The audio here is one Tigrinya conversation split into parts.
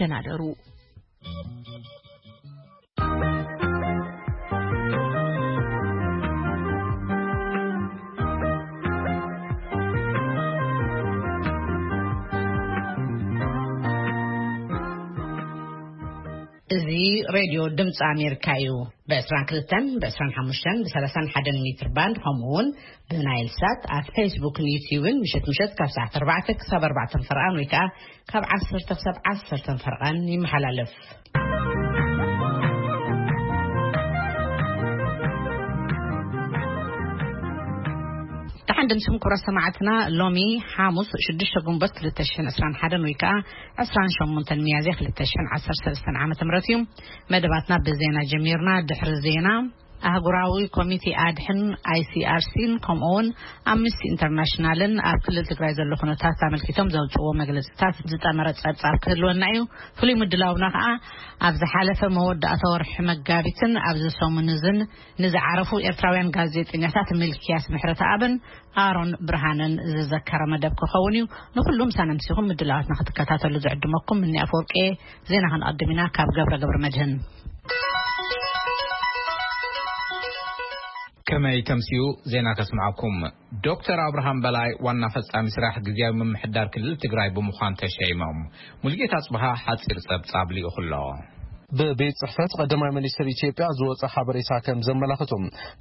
ተናደሩ። እዚ ሬድዮ ድምፂ ኣሜሪካ እዩ። ብ25፣ ብ31፣ ብ31 ሜትር ባንድ፣ ከምኡ እውን ብናይል ሳት ኣብ ፌስቡክን ዩትዩብን ምሸት ምሸት ካብ ሰዓት ኣርባዕተ ክሳብ ኣርባዕተ ፈርቓን ወይ ከዓ ካብ ዓሰርተ ክሳብ ዓሰርተ ፈርቓን ይመሓላለፍ። ደሓን ድምስኩም ክብራት ሰማዕትና፣ ሎሚ ሓሙስ ሽዱሽተ ግንቦት ክልተ ሽሕን ዕስራን ሓደን ወይ ከዓ ዕስራን ሸሞንተን ሚያዝያ ክልተ ሽሕን ዓሰርተ ሰለስተን ዓመተ ምህረት እዩ። መደባትና ብዜና ጀሚርና። ድሕሪ ዜና፣ ኣህጉራዊ ኮሚቴ ኣድሕን፣ ኣይሲኣርሲን፣ ከምኡ እውን ኣምነስቲ ኢንተርናሽናልን ኣብ ክልል ትግራይ ዘሎ ኩነታት ኣመልኪቶም ዘውፅዎ መግለፅታት ዝጠመረ ፀብፃብ ክህልወና እዩ። ፍሉይ ምድላውና ከዓ ኣብ ዝሓለፈ መወዳእታ ወርሒ መጋቢትን ኣብዚ ሰሙን እዝን ንዝዓረፉ ኤርትራውያን ጋዜጠኛታት ሚልክያስ ምሕረተኣብን ኣሮን ብርሃንን ዝዘከረ መደብ ክኸውን እዩ። ንኹሉ ምሳና ምሲኹም ምድላዋትና ክትከታተሉ ዝዕድመኩም እኒ ኣፈወርቂ። ዜና ክንቐድም ኢና ካብ ገብረ ገብረ መድህን። ከመይ ተምስዩ? ዜና ከስምዓኩም። ዶክተር ኣብርሃም በላይ ዋና ፈጻሚ ስራሕ ግዝያዊ ምምሕዳር ክልል ትግራይ ብምዃን ተሸይሞም። ሙልጌታ ኣጽብሃ ሓጺር ጸብጻብ ልኢኹ ኣሎ። ብቤት ጽሕፈት ቀዳማይ ሚኒስትር ኢትዮጵያ ዝወጸ ሓበሬታ ከም ዘመላኽቱ፣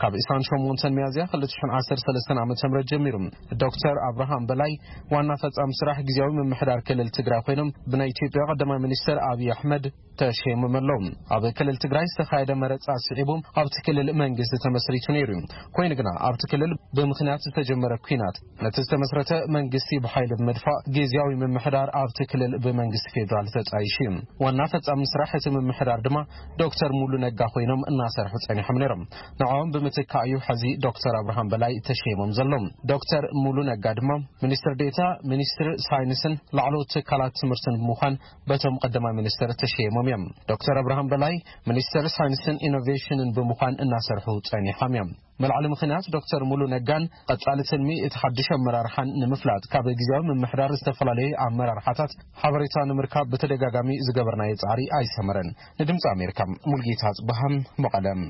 ካብ ዕስራን ሸሞንተን ሚያዝያ ክልተ ሽሕን ዓሰርተ ሰለስተን ዓመተ ምህረት ጀሚሩ ዶክተር ኣብርሃም በላይ ዋና ፈጻሚ ስራሕ ግዝያዊ ምምሕዳር ክልል ትግራይ ኮይኖም ብናይ ኢትዮጵያ ቀዳማይ ሚኒስትር ኣብይ ኣሕመድ ተሸይሞም ኣለዉ። ኣብ ክልል ትግራይ ዝተኻየደ መረጻ ስዒቡ ኣብቲ ክልል መንግስቲ ተመስሪቱ ነይሩ እዩ። ኮይኑ ግና ኣብቲ ክልል ብምኽንያት ዝተጀመረ ኲናት ነቲ ዝተመስረተ መንግስቲ ብሓይሊ ብምድፋእ ግዝያዊ ምምሕዳር ኣብቲ ክልል ብመንግስቲ ፌዴራል ተጻይሹ እዩ። ዋና ፈጻሚ ስራሕ እቲ ምምሕዳር ድማ ዶክተር ሙሉ ነጋ ኮይኖም እናሰርሑ ጸኒሖም ነይሮም። ንዕኦም ብምትካእ እዩ ሕዚ ዶክተር ኣብርሃም በላይ ተሸይሞም ዘሎ። ዶክተር ሙሉ ነጋ ድማ ሚኒስትር ዴታ ሚኒስትሪ ሳይንስን ላዕለዎት ትካላት ትምህርትን ብምዃን በቶም ቀዳማይ ሚኒስትር ተሸይሞም እዮም። ዶክተር ኣብርሃም በላይ ሚኒስትር ሳይንስን ኢኖቬሽንን ብምዃን እናሰርሑ ጸኒሖም እዮም። መልዓሊ ምኽንያት ዶክተር ሙሉ ነጋን ቀጻሊ ትልሚ እቲ ሓድሽ ኣመራርሓን ንምፍላጥ ካብ ግዝያዊ ምምሕዳር ዝተፈላለዩ ኣመራርሓታት ሓበሬታ ንምርካብ ብተደጋጋሚ ዝገበርናዮ ጻዕሪ ኣይሰመረን። ንድምፂ ኣሜሪካ ሙልጌታ ኣጽብሃም መቐለም።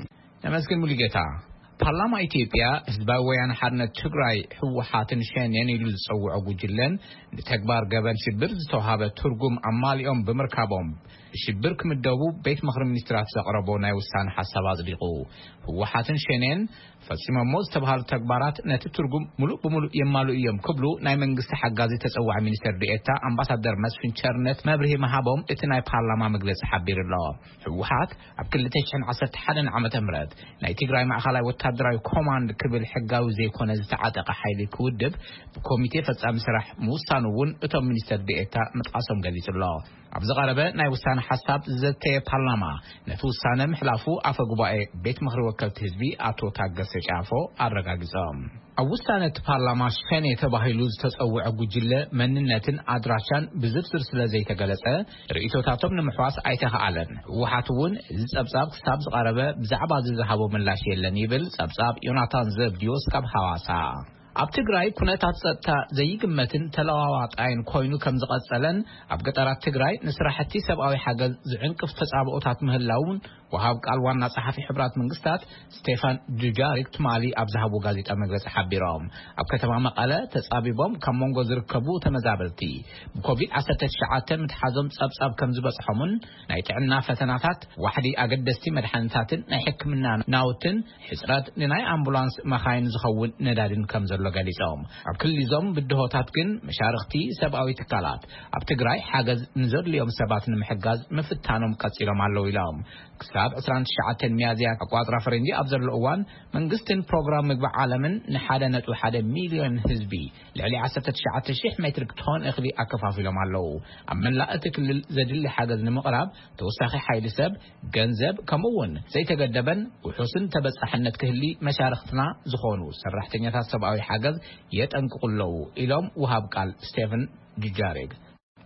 ነመስግን ሙሉጌታ። ፓርላማ ኢትዮጵያ ህዝባዊ ወያነ ሓርነት ትግራይ ህወሓትን ሸኔን ኢሉ ዝጸውዖ ጉጅለን ንተግባር ገበን ሽብር ዝተውሃበ ትርጉም ኣማሊኦም ብምርካቦም ሽብር ክምደቡ ቤት ምኽሪ ሚኒስትራት ዘቕረቦ ናይ ውሳነ ሓሳብ ኣጽዲቑ። ህወሓትን ሸኔን ፈጺሞሞ ዝተባሃሉ ተግባራት ነቲ ትርጉም ሙሉእ ብሙሉእ የማልኡ እዮም ክብሉ ናይ መንግስቲ ሓጋዚ ተጸዋዒ ሚኒስትር ዲኤታ ኣምባሳደር መስፍን ቸርነት መብርሂ ምሃቦም እቲ ናይ ፓርላማ መግለጺ ሓቢሩ ኣሎ። ህወሓት ኣብ ክልተ ሽሕን ዓሰርተ ሓደን ዓመተ ምህረት ናይ ትግራይ ማእኸላይ ወታደራዊ ኮማንድ ክብል ሕጋዊ ዘይኮነ ዝተዓጠቐ ሓይሊ ክውድብ ብኮሚቴ ፈጻሚ ስራሕ ምውሳኑ እውን እቶም ሚኒስትር ዲኤታ ምጥቃሶም ገሊጹ ኣሎ። ኣብ ዝቐረበ ናይ ውሳነ ሓሳብ ዝዘተየ ፓርላማ ነቲ ውሳነ ምሕላፉ ኣፈ ጉባኤ ቤት ምኽሪ ወከልቲ ህዝቢ ኣቶ ታገሰ ጫፎ ኣረጋጊጾም። ኣብ ውሳነ እቲ ፓርላማ ሸኔ ተባሂሉ ዝተጸውዐ ጉጅለ መንነትን ኣድራሻን ብዝርዝር ስለ ዘይተገለጸ፣ ርእይቶታቶም ንምሕዋስ ኣይተኻኣለን። ህወሓት እውን እዚ ጸብጻብ ክሳብ ዝቐረበ ብዛዕባ እዚ ዝሃቦ ምላሽ የለን ይብል ጸብጻብ ዮናታን ዘብድዮስ ካብ ሃዋሳ። ኣብ ትግራይ ኩነታት ጸጥታ ዘይግመትን ተለዋዋጣይን ኮይኑ ከም ዝቐጸለን ኣብ ገጠራት ትግራይ ንስራሕቲ ሰብኣዊ ሓገዝ ዝዕንቅፍ ተጻብኦታት ምህላውን ወሃብ ቃል ዋና ጸሓፊ ሕብራት መንግስታት ስቴፋን ዱጃሪክ ትማሊ ኣብ ዝሃብዎ ጋዜጣ መግለጺ ሓቢሮም። ኣብ ከተማ መቐለ ተጻቢቦም ካብ መንጎ ዝርከቡ ተመዛበልቲ ብኮቪድ ዓሰርተ ትሽዓተ ምትሓዞም ጸብጻብ ከም ዝበጽሖምን ናይ ጥዕና ፈተናታት ዋሕዲ ኣገደስቲ መድሓኒታትን ናይ ሕክምና ናውትን ሕጽረት ንናይ ኣምቡላንስ መኻይን ዝኸውን ነዳድን ከም ዘሎ ገሊጾም። ኣብ ክልል እዞም ብድሆታት ግን መሻርኽቲ ሰብኣዊ ትካላት ኣብ ትግራይ ሓገዝ ንዘድልዮም ሰባት ንምሕጋዝ ምፍታኖም ቀጺሎም ኣለዉ ኢሎም። ክሳብ ዕስራን ትሽዓተን ሚያዝያ ኣቋጽራ ፈረንጂ ኣብ ዘሎ እዋን መንግስትን ፕሮግራም ምግቢ ዓለምን ንሓደ ነጥቢ ሓደ ሚልዮን ህዝቢ ልዕሊ ዓሰርተ ትሽዓተ ሽሕ ሜትሪክ ቶን እኽሊ ኣከፋፊሎም ኣለዉ። ኣብ መላእ እቲ ክልል ዘድሊ ሓገዝ ንምቕራብ ተወሳኺ ሓይሊ ሰብ፣ ገንዘብ፣ ከምኡ እውን ዘይተገደበን ውሑስን ተበጻሕነት ክህሊ መሻርኽትና ዝኾኑ ሰራሕተኛታት ሰብኣዊ ሓገዝ የጠንቅቑ ኣለዉ ኢሎም ውሃብ ቃል ስቴፈን ዱጃሪክ።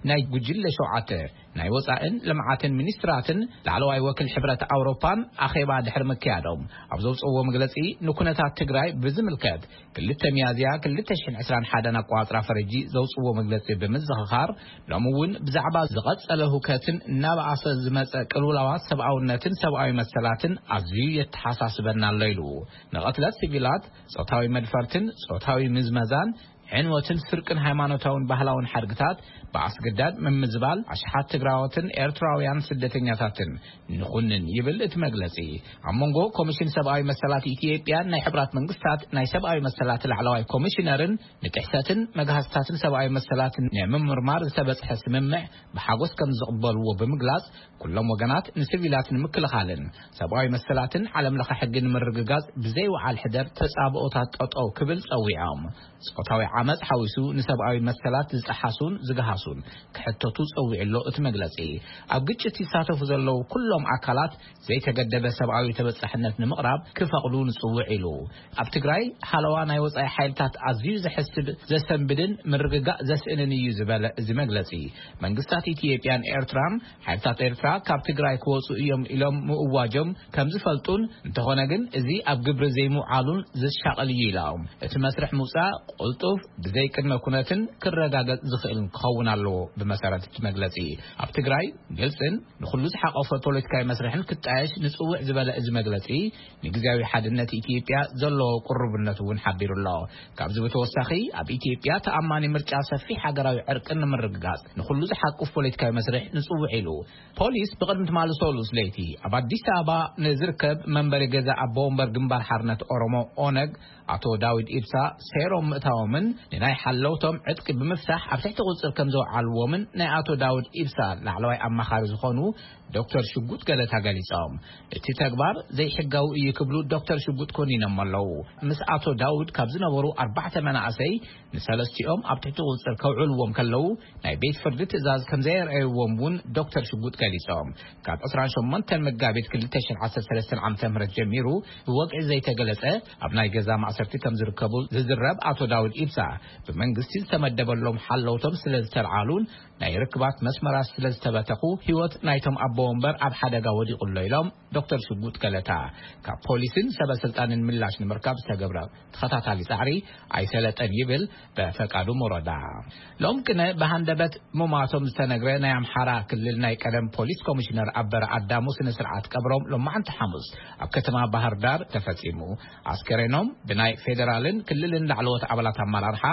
ናይ ጉጅለ ሸውዓተ ናይ ወጻእን ልምዓትን ሚኒስትራትን ላዕለዋይ ወኪል ሕብረት ኣውሮፓን ኣኼባ ድሕሪ ምክያዶም፣ ኣብ ዘውፅእዎ መግለፂ፣ ንኩነታት ትግራይ ብዝምልከት ክልተ ሚያዝያ ክልተ ሽሕን ዕስራን ሓደን ኣቋፅራ ፈረጂ ዘውፅእዎ መግለፂ ብምዝኽኻር፣ ሎሚ እውን ብዛዕባ ዝቐጸለ ህውከትን እናበኣሰ ዝመጸ ቅልውላዋት ሰብኣውነትን ሰብኣዊ መሰላትን ኣዝዩ የተሓሳስበና ኣሎ ኢሉ። ንቐትለት ሲቪላት፣ ጾታዊ መድፈርትን ጾታዊ ምዝመዛን፣ ዕንወትን ስርቅን ሃይማኖታውን ባህላውን ሓድግታት፣ ብኣስገዳድ ምምዝባል ኣሽሓት ትግራዎትን ኤርትራውያን ስደተኛታትን ንኹንን ይብል እቲ መግለጺ። ኣብ መንጎ ኮሚሽን ሰብኣዊ መሰላት ኢትዮጵያን ናይ ሕብራት መንግስታት ናይ ሰብኣዊ መሰላት ላዕለዋይ ኮሚሽነርን ንጥሕሰትን መግሃስታትን ሰብኣዊ መሰላትን ንምምርማር ዝተበጽሐ ስምምዕ ብሓጎስ ከም ዝቕበልዎ ብምግላጽ፣ ኩሎም ወገናት ንሲቪላት ንምክልኻልን ሰብኣዊ መሰላትን ዓለም ለኸ ሕጊ ንምርግጋጽ ብዘይወዓል ሕደር ተጻብኦታት ጠጠው ክብል ጸዊዖም። ጾታዊ ዓመጽ ሓዊሱ ንሰብኣዊ መሰላት ዝጸሓሱን ዝገሃሱን ክሕተቱ ጸዊዑ ኣሎ እቲ መግለጺ። ኣብ ግጭት ይሳተፉ ዘለዉ ኩሎም ኣካላት ዘይተገደበ ሰብኣዊ ተበጻሕነት ንምቕራብ ክፈቕዱ ንጽውዕ ኢሉ። ኣብ ትግራይ ሃለዋ ናይ ወጻኢ ሓይልታት ኣዝዩ ዘሕስብ፣ ዘሰንብድን ምርግጋእ ዘስእንን እዩ ዝበለ እዚ መግለጺ፣ መንግስታት ኢትዮጵያን ኤርትራን ሓይልታት ኤርትራ ካብ ትግራይ ክወጹ እዮም ኢሎም ምእዋጆም ከም ዝፈልጡን፣ እንተኾነ ግን እዚ ኣብ ግብሪ ዘይምውዓሉን ዘሻቕል እዩ ኢሎም። እቲ መስርሕ ምውጻእ ቅልጡፍ፣ ብዘይ ቅድመ ኩነትን ክረጋገጽ ዝኽእልን ክኸውን ኣለዎ። ብመሰረት እቲ መግለጺ፣ ኣብ ትግራይ ግልጽን ንኹሉ ዝሓቆፈ ፖለቲካዊ መስርሕን ክጣየሽ ንጽውዕ ዝበለ እዚ መግለጺ፣ ንግዝያዊ ሓድነት ኢትዮጵያ ዘለዎ ቅሩብነት እውን ሓቢሩ ኣሎ። ካብዚ ብተወሳኺ፣ ኣብ ኢትዮጵያ ተኣማኒ ምርጫ፣ ሰፊሕ ሃገራዊ ዕርቅን ንምርግጋጽ ንኹሉ ዝሓቁፍ ፖለቲካዊ መስርሕ ንጽውዕ ኢሉ። ፖሊስ ብቕድሚ ትማሊ ሰሉስ ለይቲ ኣብ ኣዲስ ኣበባ ንዝርከብ መንበሪ ገዛ ኣቦ ወንበር ግንባር ሓርነት ኦሮሞ፣ ኦነግ፣ ኣቶ ዳዊድ ኢብሳ ሰይሮም ምእታዎምን ንናይ ሓለውቶም ዕጥቂ ብምፍታሕ ኣብ ትሕቲ ቁጽር ከም ዘውዓልዎምን ናይ ኣቶ ዳውድ ኢብሳ ላዕለዋይ ኣማኻሪ ዝኾኑ ዶክተር ሽጉጥ ገለታ ገሊጾም። እቲ ተግባር ዘይሕጋዊ እዩ ክብሉ ዶክተር ሽጉጥ ኮኒኖም ኣለዉ። ምስ ኣቶ ዳውድ ካብ ዝነበሩ ኣርባዕተ መናእሰይ ንሰለስቲኦም ኣብ ትሕቲ ቁጽር ከውዕልዎም ከለዉ ናይ ቤት ፍርዲ ትእዛዝ ከም ዘየርኣይዎም እውን ዶክተር ሽጉጥ ገሊጾም። ካብ ዕስራን ሸሞንተን መጋቢት ክልተ ሽሕን ዓሰርተ ሰለስተን ዓመተ ምህረት ጀሚሩ ብወግዒ ዘይተገለጸ ኣብ ናይ ገዛ ማእሰርቲ ከም ዝርከቡ ዝዝረብ ኣቶ ዳውድ ኢብሳ፣ ብመንግስቲ ዝተመደበሎም ሓለውቶም ስለ ዝተልዓሉን ናይ ርክባት መስመራት ስለ ዝተበተኹ ህይወት ናይቶም ኣቦ ወንበር ኣብ ሓደጋ ወዲቑ ኣሎ ኢሎም ዶክተር ሽጉጥ ገለታ። ካብ ፖሊስን ሰበ ስልጣንን ምላሽ ንምርካብ ዝተገብረ ተኸታታሊ ጻዕሪ ኣይሰለጠን ይብል በፈቃዱ ሞሮዳ። ሎም ቅነ ብሃንደበት ምሟቶም ዝተነግረ ናይ ኣምሓራ ክልል ናይ ቀደም ፖሊስ ኮሚሽነር ኣበረ ኣዳሙ ስነ ስርዓት ቀብሮም ሎማዓንቲ ሓሙስ ኣብ ከተማ ባህር ዳር ተፈጺሙ። ኣስከሬኖም ብናይ ፌዴራልን ክልልን ላዕለዎት ኣባላት ኣመራርሓ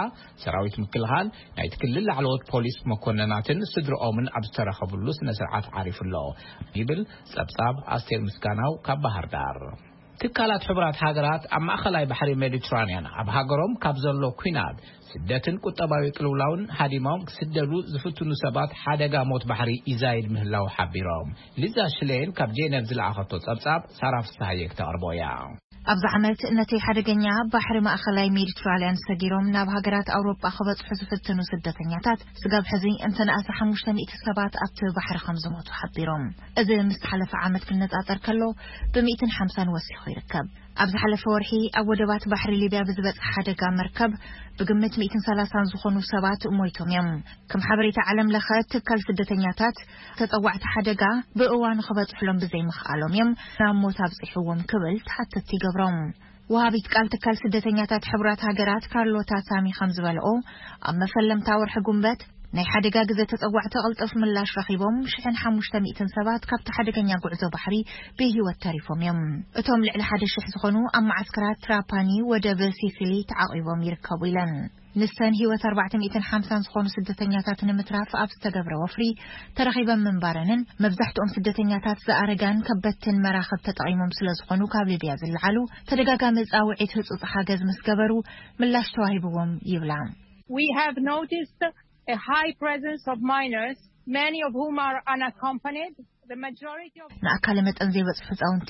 ሰራዊት ምክልኻል፣ ናይቲ ክልል ላዕለዎት ፖሊስ መኮንናትን ስድርኦምን ኣብ ዝተረኸብሉ ስነ ስርዓት ዓሪፉ ኣሎ ይብል ጸብጻብ ኣስቴር ምስጋናው ካብ ባህር ዳር። ትካላት ሕቡራት ሃገራት ኣብ ማእኸላይ ባሕሪ ሜዲትራንያን ኣብ ሃገሮም ካብ ዘሎ ኲናት፣ ስደትን ቁጠባዊ ቅልውላውን ሃዲሞም ክስደዱ ዝፍትኑ ሰባት ሓደጋ ሞት ባሕሪ ይዛይድ ምህላው ሓቢሮም። ሊዛ ሽሌን ካብ ጄነቭ ዝለኣኸቶ ጸብጻብ ሳራ ፍስሃየ ክተቕርቦ እያ። ኣብዚ ዓመት ነቲ ሓደገኛ ባሕሪ ማእኸላይ ሜዲትራንያን ሰጊሮም ናብ ሃገራት ኣውሮጳ ክበጽሑ ዝፍትኑ ስደተኛታት ስጋብ ሕዚ እንተነኣሰ ሓሙሽተ ሚእቲ ሰባት ኣብቲ ባሕሪ ከም ዝሞቱ ሓቢሮም። እዚ ምስ ሓለፈ ዓመት ክነጻጸር ከሎ ብ ሚእትን ሓምሳን ወሲኹ ይርከብ። ኣብ ዝሓለፈ ወርሒ ኣብ ወደባት ባሕሪ ሊብያ ብዝበጽሐ ሓደጋ መርከብ ብግምት ሚእትን ሰላሳን ዝኾኑ ሰባት ሞይቶም እዮም። ከም ሓበሬታ ዓለም ለኸ ትካል ስደተኛታት፣ ተጸዋዕቲ ሓደጋ ብእዋኑ ክበጽሕሎም ብዘይምኽኣሎም እዮም ናብ ሞት ኣብጺሕዎም ክብል ተሓተትቲ ይገብሮም። ወሃቢት ቃል ትካል ስደተኛታት ሕቡራት ሃገራት ካርሎታ ሳሚ ከም ዝበልኦ፣ ኣብ መፈለምታ ወርሒ ጉንበት ናይ ሓደጋ ግዜ ተጸዋዕቲ ቅልጡፍ ምላሽ ረኺቦም፣ ሽሕን ሓሙሽተ ሚእትን ሰባት ካብቲ ሓደገኛ ጉዕዞ ባሕሪ ብህይወት ተሪፎም እዮም። እቶም ልዕሊ ሓደ ሽሕ ዝኾኑ ኣብ መዓስከራት ትራፓኒ ወደብ ሲሲሊ ተዓቒቦም ይርከቡ ኢለን። ንሰን ህይወት ኣርባዕተ ሚእትን ሓምሳን ዝኾኑ ስደተኛታት ንምትራፍ ኣብ ዝተገብረ ወፍሪ ተረኺበን ምንባረንን፣ መብዛሕትኦም ስደተኛታት ዝኣረጋን ከበድትን መራኽብ ተጠቒሞም ስለ ዝኾኑ፣ ካብ ሊብያ ዝለዓሉ ተደጋጋሚ ጻውዒት ህጹጽ ሓገዝ ምስ ገበሩ ምላሽ ተዋሂብዎም ይብላ። We have noticed a high presence of minors, many of whom are unaccompanied. The majority of ንኣካለ መጠን ዘይበጽሑ ህጻውንቲ፣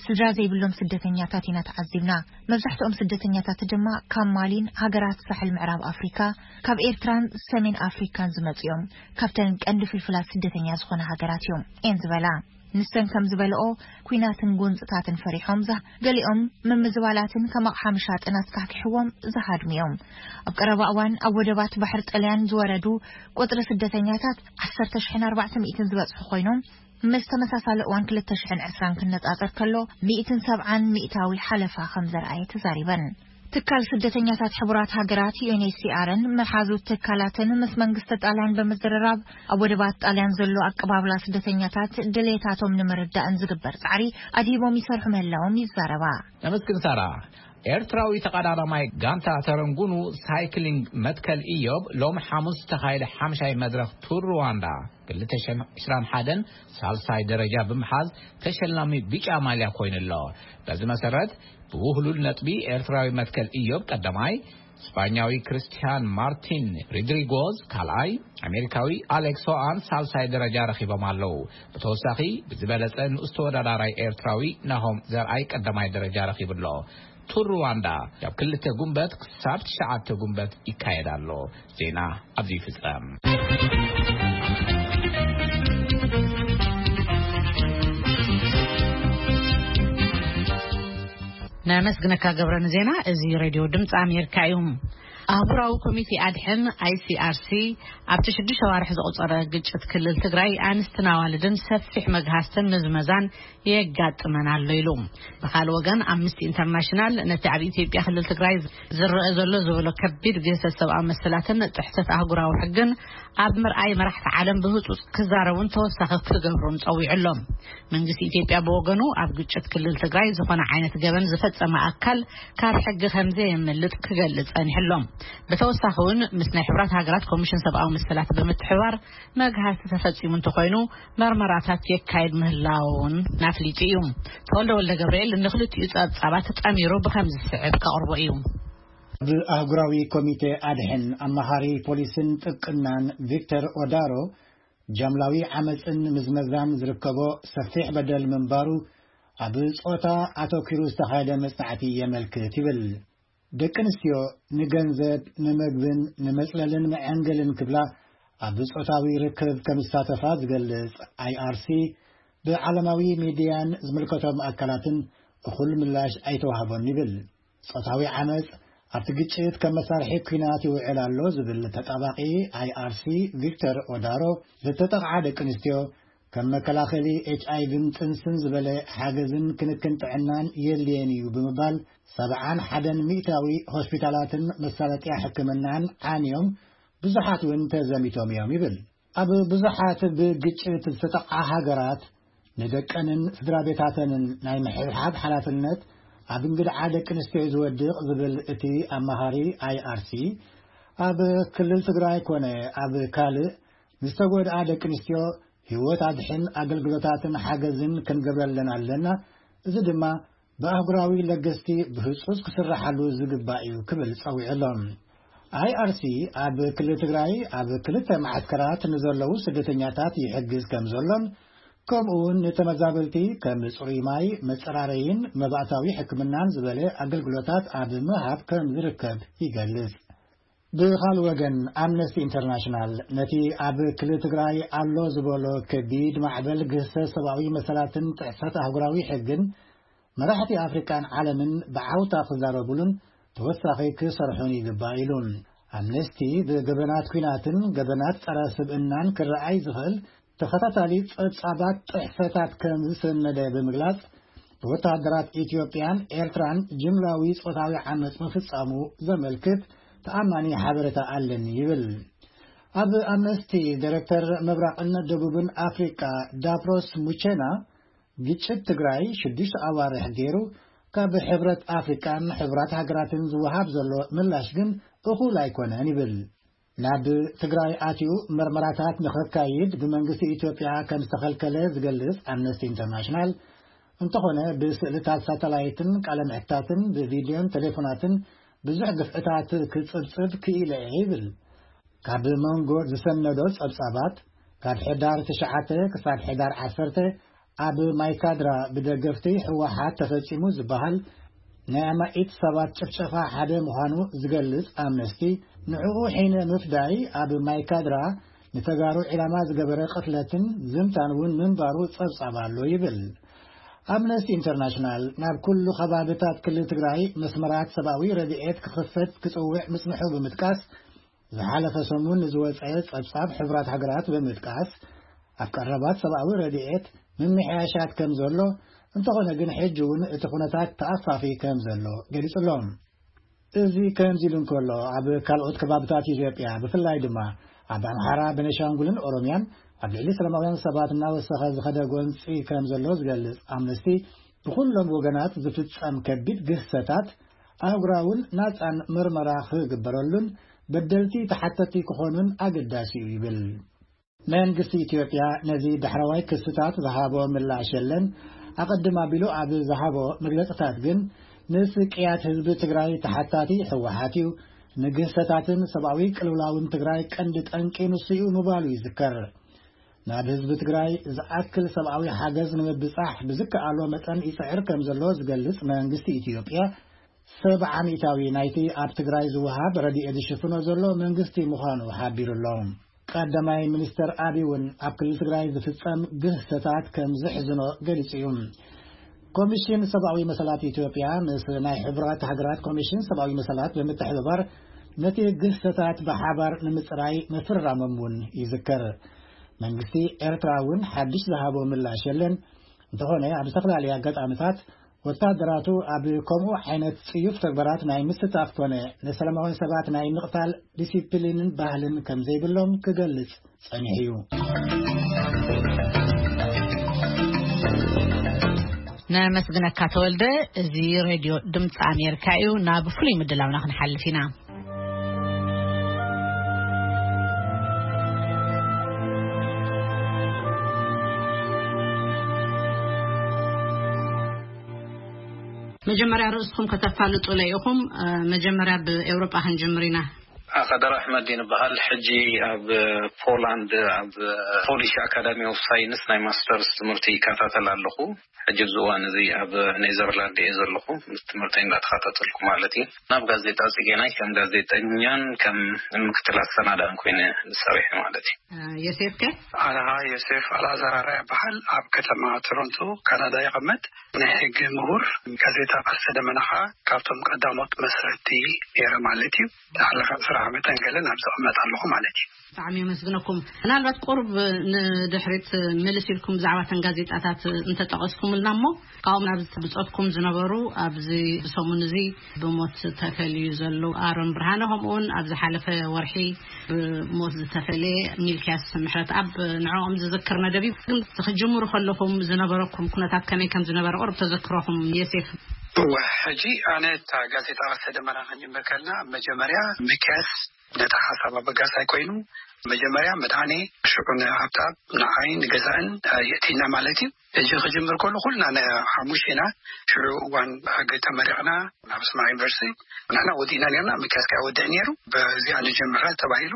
ስድራ ዘይብሎም ስደተኛታት ኢና ተዓዚብና። መብዛሕትኦም ስደተኛታት ድማ ካብ ማሊን ሃገራት ሳሕል ምዕራብ ኣፍሪካ፣ ካብ ኤርትራን ሰሜን ኣፍሪካን ዝመጹ እዮም። ካብተን ቀንዲ ፍልፍላት ስደተኛ ዝኾና ሃገራት እዮም እየን ዝበላ። ንሰን ከም ዝበልኦ፣ ኲናትን ጎንጽታትን ፈሪሖም ዝሃ-፣ ገሊኦም ምምዝባላትን ከም ኣቕሓ ምሻጥን ኣስካሕኪሕዎም ዝሃድሙ እዮም። ኣብ ቀረባ እዋን ኣብ ወደባት ባሕሪ ጥልያን ዝወረዱ ቁጽሪ ስደተኛታት ዓሰርተ ሽሕን ኣርባዕተ ሚእትን ዝበጽሑ ኮይኖም፣ ምስ ተመሳሳሊ እዋን ክልተ ሽሕን ዕስራን ክነጻጸር ከሎ፣ ሚእትን ሰብዓን ሚእታዊ ሓለፋ ከም ዘርኣየ ተዛሪበን። ትካል ስደተኛታት ሕቡራት ሃገራት፣ ዩ ኤን ኤች ሲ ኣር ን መሓዙት ትካላትን ምስ መንግስቲ ጣልያን ብምዝርራብ፣ ኣብ ወደባት ጣልያን ዘሎ ኣቀባብላ ስደተኛታት ድሌታቶም ንምርዳእን ዝግበር ጻዕሪ ኣድሂቦም ይሰርሑ ምህላዎም ይዛረባ። ነመስግን ሳራ። ኤርትራዊ ተቐዳዳማይ ጋንታ ተረንጉኑ ሳይክሊንግ መትከል ኢዮብ ሎም ሓሙስ ዝተኻየደ ሓምሻይ መድረኽ ቱር ሩዋንዳ ክልተ ሽሕን ዕስራን ሓደን ሳልሳይ ደረጃ ብምሓዝ ተሸላሚ ቢጫ ማልያ ኮይኑ ኣሎ። በዚ መሰረት ብውህሉል ነጥቢ ኤርትራዊ መትከል ኢዮብ ቀዳማይ፣ ስጳኛዊ ክርስቲያን ማርቲን ሪድሪጎዝ ካልኣይ፣ ኣሜሪካዊ ኣሌክስ ሆኣን ሳልሳይ ደረጃ ረኺቦም ኣለዉ። ብተወሳኺ ብዝበለጸ ንኡስ ተወዳዳራይ ኤርትራዊ ናሆም ዘርኣይ ቀዳማይ ደረጃ ረኺቡ ኣሎ። ቱር ሩዋንዳ ካብ ክልተ ጉንበት ክሳብ ትሽዓተ ጉንበት ይካየድ ኣሎ። ዜና ኣብዚ ይፍጸም። ነመስግነካ ገብረ ንዜና። እዚ ሬድዮ ድምፂ ኣሜሪካ እዩ። ኣህጉራዊ ኮሚቴ ኣድሕን፣ ኣይ ሲ ኣር ሲ፣ ኣብቲ ሽዱሽተ ኣዋርሕ ዘቑጸረ ግጭት ክልል ትግራይ ኣንስትን ኣዋልድን ሰፊሕ መግሃስትን ምዝመዛን የጋጥመን ኣሎ ኢሉ። ብኻልእ ወገን፣ ኣምነስቲ ኢንተርናሽናል ነቲ ኣብ ኢትዮጵያ ክልል ትግራይ ዝረአ ዘሎ ዝበሎ ከቢድ ግህሰት ሰብኣዊ መሰላትን ጥሕሰት ኣህጉራዊ ሕግን ኣብ ምርኣይ፣ መራሕቲ ዓለም ብህጹጽ ክዛረቡን ተወሳኺ ክገብሩን ጸዊዑ ኣሎ። መንግስቲ ኢትዮጵያ ብወገኑ፣ ኣብ ግጭት ክልል ትግራይ ዝኾነ ዓይነት ገበን ዝፈጸመ ኣካል ካብ ሕጊ ከም ዘየምልጥ ክገልጽ ጸኒሑ ኣሎ። ብተወሳኺ እውን፣ ምስ ናይ ሕብራት ሃገራት ኮሚሽን ሰብኣዊ መሰላት ብምትሕብባር፣ መግሃስቲ ተፈጺሙ እንተኾይኑ፣ መርመራታት የካይድ ምህላውን ኣፍሊጡ እዩ። ተወልደ ወልደ ገብርኤል ንኽልቲኡ ጸብጻባት ጠሚሩ ብኸምዚ ዝስዕብ ከቕርቦ እዩ። ብኣህጉራዊ ኮሚቴ ኣድሕን ኣማኻሪ ፖሊስን ጥብቅናን ቪክተር ኦዳሮ፣ ጃምላዊ ዓመጽን ምዝመዛን ዝርከቦ ሰፊሕ በደል ምንባሩ ኣብ ጾታ ኣተኲሩ ዝተኻየደ መጽናዕቲ የመልክት ይብል። ደቂ ኣንስትዮ ንገንዘብ፣ ንመግብን ንመጽለልን መዐንገልን ክብላ ኣብ ጾታዊ ርክብ ከም ዝሳተፋ ዝገልጽ ኣይ ኣር ሲ፣ ብዓለማዊ ሚድያን ዝምልከቶም ኣካላትን እኹል ምላሽ ኣይተዋህቦን ይብል። ጾታዊ ዓመጽ ኣብቲ ግጭት ከም መሳርሒ ኲናት ይውዕል ኣሎ ዝብል ተጣባቂ ኣይ ኣር ሲ ቪክተር ኦዳሮ፣ ዝተጠቕዓ ደቂ ኣንስትዮ ከም መከላኸሊ ኤች ኣይ ቪን ጥንስን ዝበለ ሓገዝን ክንክን ጥዕናን የድልየን እዩ ብምባል፣ ሰብዓን ሓደን ሚእታዊ ሆስፒታላትን መሳለጥያ ሕክምናን ዓንዮም፣ ብዙሓት እውን ተዘሚቶም እዮም ይብል። ኣብ ብዙሓት ብግጭት ዝተጠቕዓ ሃገራት፣ ንደቀንን ስድራ ቤታተንን ናይ ምሕብሓብ ሓላፍነት ኣብ እንግድዓ ደቂ ኣንስትዮ እዩ ዝወድቕ ዝብል እቲ ኣማኻሪ ኣይ ኣር ሲ፣ ኣብ ክልል ትግራይ ኮነ ኣብ ካልእ ንዝተጎድኣ ደቂ ኣንስትዮ ህይወት ኣድሕን ኣገልግሎታትን ሓገዝን ክንገብረለን ኣለና። እዚ ድማ ብኣህጉራዊ ለገስቲ ብህጹጽ ክስረሓሉ ዝግባእ እዩ ክብል ጸዊዑ ኣሎ። ኣይ ኣር ሲ ኣብ ክልል ትግራይ ኣብ ክልተ መዓስከራት ንዘለዉ ስደተኛታት ይሕግዝ ከም ዘሎን፣ ከምኡ እውን ንተመዛበልቲ ከም ጽሩይ ማይ፣ መጸራረይን መባእታዊ ሕክምናን ዝበለ ኣገልግሎታት ኣብ ምሃብ ከም ዝርከብ ይገልጽ። ብኻልእ ወገን፣ ኣምነስቲ ኢንተርናሽናል ነቲ ኣብ ክልል ትግራይ ኣሎ ዝበሎ ከቢድ ማዕበል ግህሰት ሰብኣዊ መሰላትን ጥሕሰት ኣህጉራዊ ሕግን፣ መራሕቲ ኣፍሪቃን ዓለምን ብዓውታ ክዛረቡሉን ተወሳኺ ክሰርሑን ይግባእ ኢሉ። ኣምነስቲ ብገበናት ኲናትን ገበናት ጸረ ስብእናን ክረኣይ ዝኽእል ተኸታታሊ ጸብጻባት ጥሕሰታት ከም ዝሰነደ ብምግላጽ፣ ብወተሃደራት ኢትዮጵያን ኤርትራን ጅምላዊ ጾታዊ ዓመጽ ምፍጻሙ ዘመልክት ተኣማኒ ሓበሬታ ኣለኒ ይብል። ኣብ ኣምነስቲ ዳይሬክተር ምብራቕን ደቡብን ኣፍሪቃ ዳፕሮስ ሙቼና፣ ግጭት ትግራይ ሽዱሽተ ኣዋርሕ ገይሩ ካብ ሕብረት ኣፍሪቃን ሕቡራት ሃገራትን ዝወሃብ ዘሎ ምላሽ ግን እኹል ኣይኮነን ይብል። ናብ ትግራይ ኣትዩ መርመራታት ንኸካይድ ብመንግስቲ ኢትዮጵያ ከም ዝተኸልከለ ዝገልጽ ኣምነስቲ ኢንተርናሽናል፣ እንተኾነ ብስእልታት ሳተላይትን ቃለ ምሕታትን ብቪድዮን ቴሌፎናትን ብዙሕ ግፍዕታት ክጽብጽብ ክኢለ እየ ይብል። ካብ መንጎ ዝሰነዶ ጸብጻባት፣ ካብ ሕዳር ትሽዓተ ክሳብ ሕዳር ዓሰርተ ኣብ ማይካድራ ብደገፍቲ ህወሓት ተፈጺሙ ዝበሃል ናይ ኣማኢት ሰባት ጭፍጨፋ ሓደ ምዃኑ ዝገልጽ ኣምነስቲ፣ ንዕኡ ሒነ ምፍዳይ ኣብ ማይካድራ ንተጋሩ ዒላማ ዝገበረ ቅትለትን ዝምታን እውን ምንባሩ ጸብጻብ ኣሎ ይብል። ኣምነስቲ ኢንተርናሽናል ናብ ኩሉ ከባብታት ክልል ትግራይ መስመራት ሰብኣዊ ረድኤት ክኽፈት ክጽውዕ ምጽንሑ ብምጥቃስ፣ ዝሓለፈ ሰሙን ንዝወጸ ጸብጻብ ሕቡራት ሃገራት ብምጥቃስ፣ ኣብ ቀረባት ሰብኣዊ ረድኤት ምምሕያሻት ከም ዘሎ፣ እንተኾነ ግን ሕጂ እውን እቲ ኩነታት ተኣፋፊ ከም ዘሎ ገሊጹ ኣሎ። እዚ ከምዚ ኢሉ እንከሎ፣ ኣብ ካልኦት ከባብታት ኢትዮጵያ፣ ብፍላይ ድማ ኣብ ኣምሓራ፣ ቤኒሻንጉልን ኦሮምያን ኣብ ልዕሊ ሰላማውያን ሰባት እናወሰኸ ዝኸደ ጎንጺ ከም ዘሎ ዝገልጽ ኣምነስቲ፣ ብኹሎም ወገናት ዝፍጸም ከቢድ ግህሰታት ኣህጉራውን ናጻን ምርመራ ክግበረሉን በደልቲ ተሓተቲ ክኾኑን ኣገዳሲ እዩ ይብል። መንግስቲ ኢትዮጵያ ነዚ ዳሕረዋይ ክስታት ዝሃቦ ምላሽ የለን። ኣቐድም ኣቢሉ ኣብ ዝሃቦ መግለጽታት ግን፣ ንስቅያት ህዝቢ ትግራይ ተሓታቲ ህወሓት እዩ፣ ንግህሰታትን ሰብኣዊ ቅልውላውን ትግራይ ቀንዲ ጠንቂ ንሱ እዩ ምባሉ ይዝከር። ናብ ህዝቢ ትግራይ ዝኣክል ሰብኣዊ ሓገዝ ንምብጻሕ ብዝከኣሎ መጠን ይጽዕር ከም ዘሎ ዝገልጽ መንግስቲ ኢትዮጵያ፣ ሰብዓ ሚእታዊ ናይቲ ኣብ ትግራይ ዝወሃብ ረድኤት ዝሽፍኖ ዘሎ መንግስቲ ምዃኑ ሓቢሩ ኣሎ። ቀዳማይ ሚኒስተር ኣቢ እውን ኣብ ክልል ትግራይ ዝፍጸም ግህሰታት ከም ዘሕዝኖ ገሊጹ እዩ። ኮሚሽን ሰብኣዊ መሰላት ኢትዮጵያ ምስ ናይ ሕቡራት ሃገራት ኮሚሽን ሰብኣዊ መሰላት ብምትሕብባር ነቲ ግህሰታት ብሓባር ንምጽራይ ምፍርራሞም እውን ይዝከር። መንግስቲ ኤርትራ እውን ሓድሽ ዝሃቦ ምላሽ የለን። እንተኾነ ኣብ ዝተፈላለዩ ኣጋጣሚታት ወታደራቱ ኣብ ከምኡ ዓይነት ጽዩፍ ተግባራት ናይ ምስታፍ ኮነ ንሰላማውያን ሰባት ናይ ምቕታል ዲሲፕሊንን ባህልን ከም ዘይብሎም ክገልጽ ጸኒሑ እዩ። ነመስግነካ ተወልደ። እዚ ሬድዮ ድምፂ ኣሜሪካ እዩ። ናብ ፍሉይ ምድላውና ክንሓልፍ ኢና። መጀመርያ ርእስኹም ከተፋልጡለ ኢኹም። መጀመርያ ብኤውሮጳ ክንጅምር ኢና። ኣኸደር ኣሕመድ ይንበሃል። ሕጂ ኣብ ፖላንድ ኣብ ፖሊሽ ኣካዳሚ ኦፍ ሳይንስ ናይ ማስተርስ ትምህርቲ ይከታተል ኣለኹ። ሕጂ ኣብዚ እዋን እዚ ኣብ ኔዘርላንድ እየ ዘለኹ፣ ትምህርቲ እንዳተኸታተልኩ ማለት እዩ። ናብ ጋዜጣ ጽጌናይ ከም ጋዜጠኛን ከም ምክትል ኣሰናዳእን ኮይነ ዝሰርሕ ማለት እዩ። ዮሴፍ ከ? ኣነ ኸዓ ዮሴፍ ኣልኣዛር ኣርኣያ ይበሃል። ኣብ ከተማ ቶሮንቶ ካናዳ ይቐመጥ። ናይ ሕጊ ምሁር፣ ጋዜጣ ቀስተ ደመና ኸዓ ካብቶም ቀዳሞት መስረቲ ነይረ ማለት እዩ። ዝሓለፈ ዕስራ ዓመት ገለን ኣብ ዝቕመጥ ኣለኹ ማለት እዩ። ብጣዕሚ የመስግነኩም። ምናልባት ቁሩብ ንድሕሪት ምልስ ኢልኩም ብዛዕባ እተን ጋዜጣታት እንተጠቐስኩምልና እሞ፣ ካብኦም ኣብዚ ብጾትኩም ዝነበሩ፣ ኣብዚ ብሰሙን እዚ ብሞት ተፈልዩ ዘሎ ኣሮን ብርሃነ፣ ከምኡውን ኣብ ዝሓለፈ ወርሒ ብሞት ዝተፈልየ ሚልክያስ ምሕረትኣብ፣ ንዕኦም ዝዝክር መደብ እዩ። ግን ክጅምሩ ከለኹም ዝነበረኩም ኩነታት ከመይ ከም ዝነበረ ቁሩብ ተዘክሮኹም ዮሴፍ። እወ፣ ሕጂ ኣነ እታ ጋዜጣ ቀስተ ደመና ክንጅምር ከለና፣ መጀመርያ ሚልክያስ ነቲ ሓሳብ ኣበጋሳይ ኮይኑ፣ መጀመርያ መድሃኔ፣ ሽዑ ንሃብተኣብ፣ ንዓይ፣ ንገዛእን የእቲና ማለት እዩ። ሕጂ ክጅምር ከሎ ኩልና ን-፣ ሓሙሽተ ኢና። ሽዑ እዋን ሕጊ ተመሪቕና ናብ ኣስመራ ዩኒቨርሲቲ ንሕና ወዲእና ነርና፣ ሚልክያስ ከኣ ይወድእ ነይሩ። በዚኣ ንጀምራ ተባሂሉ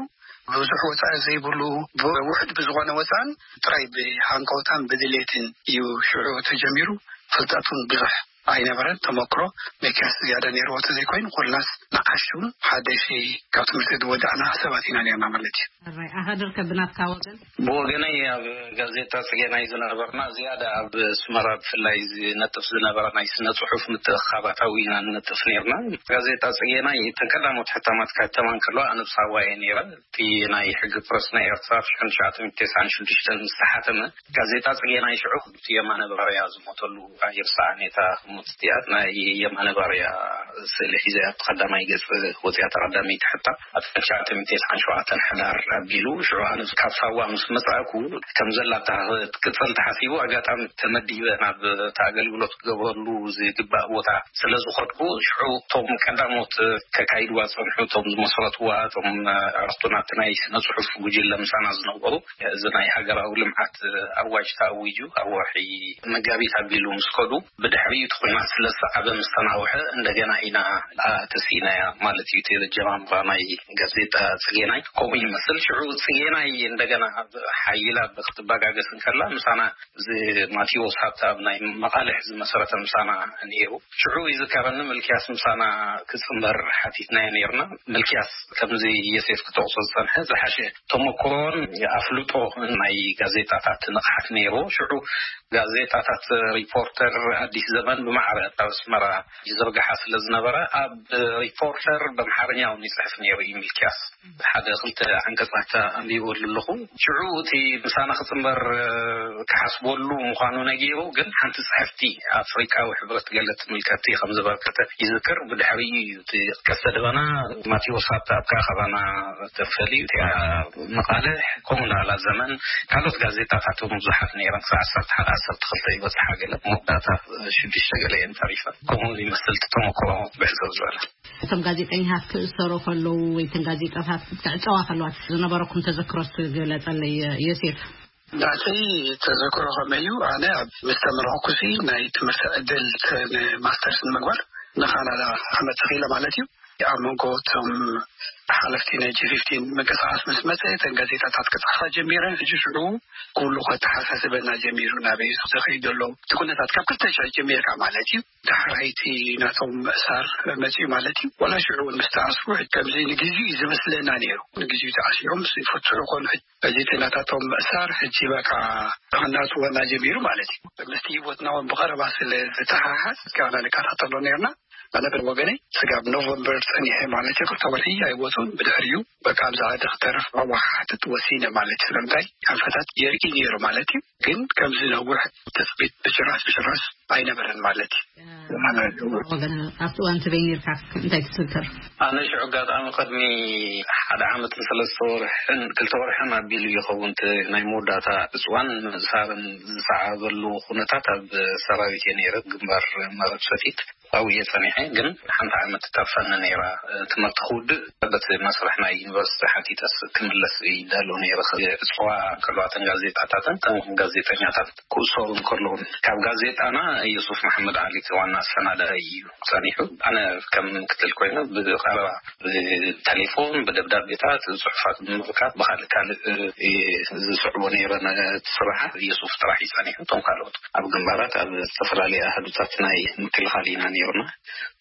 ብዙሕ ወጻኢ ዘይብሉ ብውሑድ ብዝኾነ ወጻእን ጥራይ ብሃንቀውታን ብድሌትን እዩ ሽዑ ተጀሚሩ። ፍልጠት እውን ብዙሕ ኣይነበረን። ተመክሮ ሚልክያስ ዝያዳ ነይርዎ ተዘይኮይኑ ኩልናስ ንኣሽቱ ሓደሽቲ ካብ ትምህርቲ ዝወዳእና ሰባት ኢና ነርና ማለት እዩ። ሕራይ ኣኸድር ከብናትካ ወገን። ብወገነይ ኣብ ጋዜጣ ጽጌናይ ዝነበርና ዝያዳ ኣብ ኣስመራ ብፍላይ ዝነጥፍ ዝነበረ ናይ ስነ ጽሑፍ ምትእኽኻባታዊ ኢና ንነጥፍ ነርና። ጋዜጣ ጽጌናይ እተን ቀዳሞት ሕታማት ከህተማ እንከለዋ ኣነ ብሳዋ እየ ነይረ። እቲ ናይ ሕጊ ፕረስ ናይ ኤርትራ ሽሕን ትሽዓተ ሚእትን ተስዓን ሽዱሽተን ምስ ተሓተመ፣ ጋዜጣ ጽጌናይ ሽዑ እቲ የማነ ባርያ ዝሞተሉ ኣይርሳዕን እየ። እታ ህሞት እቲኣ ናይ የማነ ባርያ ስእሊ ሒዘ ኣብቲ ቀዳማይ ገጽ ወጺኣ፣ እታ ቀዳመይቲ ሕታም ኣብ ትሽዓተ ሚእትን ተስዓን ሸውዓተን ሕዳር ኣቢሉ። ሽዑ ኣነ ካብ ሳዋ ምስ መጻእኩ ከም ዘላ እታ ክትቅጽል ተሓሲቡ ኣጋጣሚ ተመዲበ ናብ እቲ ኣገልግሎት ክገብረሉ ዝግባእ ቦታ ስለ ዝኸድኩ፣ ሽዑ እቶም ቀዳሞት ከካይድዋ ዝጸንሑ፣ እቶም ዝመስረትዋ፣ እቶም ኣዕሩኽቱ ናብቲ ናይ ስነ ጽሑፍ ጉጅለ ምሳና ዝነበሩ፣ እዚ ናይ ሃገራዊ ልምዓት ኣዋጅ ተኣዊጁ ኣብ ወርሒ መጋቢት ኣቢሉ ምስ ከዱ፣ ብድሕሪኡ እቲ ስለ ዝሰዓበ ምስ ተናውሐ እንደገና ኢና ተስኢናያ ማለት እዩ። እቲ ጀማምራ ናይ ጋዜጣ ጽጌናይ ከምኡ ይመስል። ሽዑ ጽጌናይ እንደገና ሓይላ ክትበጋገስ እንከላ ምሳና እዚ ማቴዎስ ሃብተኣብ ናይ መቓልሕ ዝመሰረተ ምሳና ነይሩ። ሽዑ ይዝከረኒ፣ ምልክያስ ምሳና ክጽንበር ሓቲትናዮ ነይርና። ምልክያስ ከምዚ ዮሴፍ ክጠቕሶ ዝጸንሐ ዝሓሸ ተመክሮን ኣፍልጦ ናይ ጋዜጣታት ንቕሓት ነይሩ። ሽዑ ጋዜጣታት ሪፖርተር፣ ኣዲስ ዘመን ብማዕረ ኣብ ኣስመራ ይዝርግሓ ስለ ዝነበረ፣ ኣብ ሪፖርተር ብኣምሓርኛ እውን ይጽሕፍ ነይሩ እዩ። ምልክያስ ሓደ ክልተ ዓንቀጻት ኣንቢበሉ ኣለኹ። ሽዑ እቲ ምሳና ክጽንበር ክሓስበሉ ምዃኑ ነጊሩ፣ ግን ሓንቲ ጽሕፍቲ ኣፍሪቃዊ ሕብረት ገለ ትምልከቲ ከም ዝበርከተ ይዝክር። ብድሕሪኡ እዩ እቲ ቀስተ ደበና ማቴዎስ ሃብተኣብ ከኣ ካባና ተፈልዩ። እቲኣ መቓልሕ፣ ከምኡ እንዳላ ዘመን፣ ካልኦት ጋዜጣታት እውን ብዙሓት ነይረን። ክሳዕ ዓሰርተ ሓደ፣ ዓሰርተ ክልተ ይበጽሓ፣ ገለ መወዳእታ ሽዱሽተ ገለ እየን ተሪፈን። ከምኡ ይመስል እቲ ተመክሮ ብሕጽር ዝበለ። እቶም ጋዜጠኛታት ክእሰሩ ከለዉ ወይ እተን ጋዜጣታት ክዕጸዋ ከለዋ ዝነበረኩም ተዘክሮ እስኪ ግለጸለይ ዮሴፍ። ናተይ ተዘክሮ ከመይ እዩ? ኣነ ኣብ ምስ ተመረቕኩሲ ናይ ትምህርቲ ዕድል ተ-፣ ንማስተርስ ንምግባር ንካናዳ ክመጽእ ክኢለ ማለት እዩ። ኣብ መንጎ እቶም ሓለፍቲ ናይ ጂ ፊፍቲን ምንቅስቃስ ምስ መጸ፣ እተን ጋዜጣታት ክጽሕፋ ጀሚረን። ሕጂ ሽዑ ኩሉ ከተሓሳስበና ጀሚሩ፣ ናበይ እዩ ዝኸይድ ዘሎ እቲ ኩነታት፣ ካብ ክልተ ሽሕ ጀሚርካ ማለት እዩ። ዳሕራይቲ ናቶም ምእሳር መጺኡ ማለት እዩ። ዋላ ሽዑ እውን ምስ ተኣስሩ፣ ከምዚ ንግዜኡ እዩ ዝመስለና ነይሩ። ንግዜኡ ተኣሲሮም ይፍትሑ ይኾኑ። ሕጂ እዚ ናታቶም ምእሳር ሕጂ በቃ ክናጽወና ጀሚሩ ማለት እዩ። ምስቲ ህይወትና እውን ብቐረባ ስለ ዝተሓሓዝ፣ እስካና ንከታተሎ ነይርና። ኣነ ብወገነይ ስጋብ ኖቨምበር ጸኒሐ ማለት እዩ፣ ክልተ ወርሒ ኣይወጹን። ብድሕሪኡ በቃ ኣብዚ ዓዲ ክተርፍ መዋሓሕትት ወሲነ ማለት እዩ። ስለምንታይ ኣንፈታት የርኢ ነይሩ ማለት እዩ። ግን ከምዚ ነዊሕ ትጽቢት ብጭራሽ ብጭራሽ ኣይነበረን ማለት እዩ። ወገን ኣብቲ እዋን ትበይ ነርካ? እንታይ ትዝክር? ኣነ ሽዑ ኣጋጣሚ ቅድሚ ሓደ ዓመትን ሰለስተ ወርሕን፣ ክልተ ወርሕን ኣቢሉ ይኸውን፣ እቲ ናይ መወዳእታ እጽዋን ምእሳርን ዝሰዓበሉ ኩነታት ኣብ ሰራዊት እየ ነይረ፣ ግንባር መረብ ሰቲት ኣብኡ እየ ጸኒሐ። ግን ሓንቲ ዓመት ትተርፈኒ ነይራ፣ ትምህርቲ ክውድእ። በቲ መስርሕ ናይ ዩኒቨርሲቲ ሓቲተስ ክምለስ ይዳሎ ነይረ። እጽዋ ከለዋ፣ እተን ጋዜጣታትን እተን ጋዜጠኛታት ክእሰሩ እንከለዉ፣ ካብ ጋዜጣና ዩሱፍ መሓመድ ዓሊ እቲ ዋና ኣሰናዳኢ እዩ ጸኒሑ። ኣነ ከም ምክትል ኮይነ ብቐረባ ብቴሌፎን፣ ብደብዳቤታት፣ ጽሑፋት ብምብካት ብኻልእ ካልእ እየ ዝስዕቦ ነይረ። ነቲ ስራሓት ዩሱፍ ጥራሕ እዩ ጸኒሑ። እቶም ካልኦት ኣብ ግንባራት፣ ኣብ ዝተፈላለየ ኣሃዱታት ናይ ምክልኻል ኢና ነይርና።